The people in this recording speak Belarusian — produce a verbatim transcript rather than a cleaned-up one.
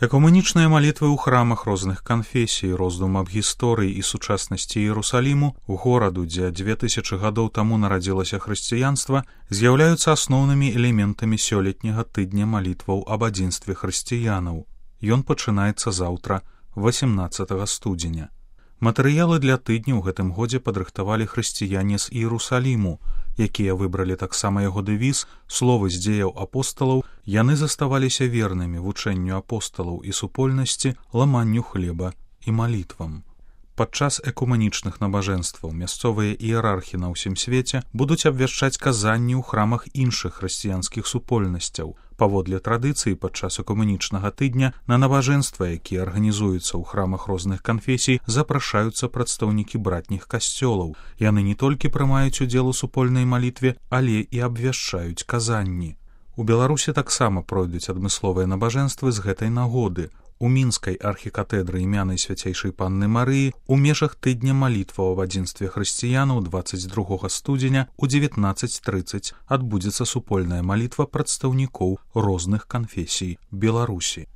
Экумэнічныя малітвы ў храмах розных канфесій, роздум аб гісторыі і сучаснасці Іерусаліму, гораду, дзе дзве тысячы гадоў таму нарадзілася хрысціянства, з'яўляюцца асноўнымі элементамі сёлетняга тыдня малітваў аб адзінстве хрысціянаў. Ён пачынаецца заўтра, васемнаццатага студзеня. Матэрыялы для тыдня ў гэтым годзе падрыхтавалі хрысціяне з Іерусаліму, якія выбралі таксама яго дэвіз «Словы з дзеяў апосталаў», яны заставаліся вернымі вучэнню апосталаў і супольнасці, ламанню хлеба і малітвам. Падчас экумэнічных набажэнстваў мясцовыя іерархі на ўсім свеце будуць абвяшчаць казанні ў храмах іншых хрысціянскіх супольнасцяў. Паводле традыцыі, падчас экумэнічнага тыдня на набажэнства, якія арганізуюцца ў храмах розных канфесій, запрашаюцца прадстаўнікі братніх касцёлаў. Яны не толькі прымаюць удзел у супольнай малітве, але і абвяшчаюць казанні. У Беларусі таксама пройдуць адмысловыя набажэнствы з гэтай нагоды. У мінскай архікатэдры імянай свяцейшай панны Марыі у межах тыдня малітваў аб адзінстве хрысціянаў дваццаць другога студзеня у дзевятнаццаць трыццаць адбудзецца супольная малітва прадстаўнікоў розных канфесій Беларусі.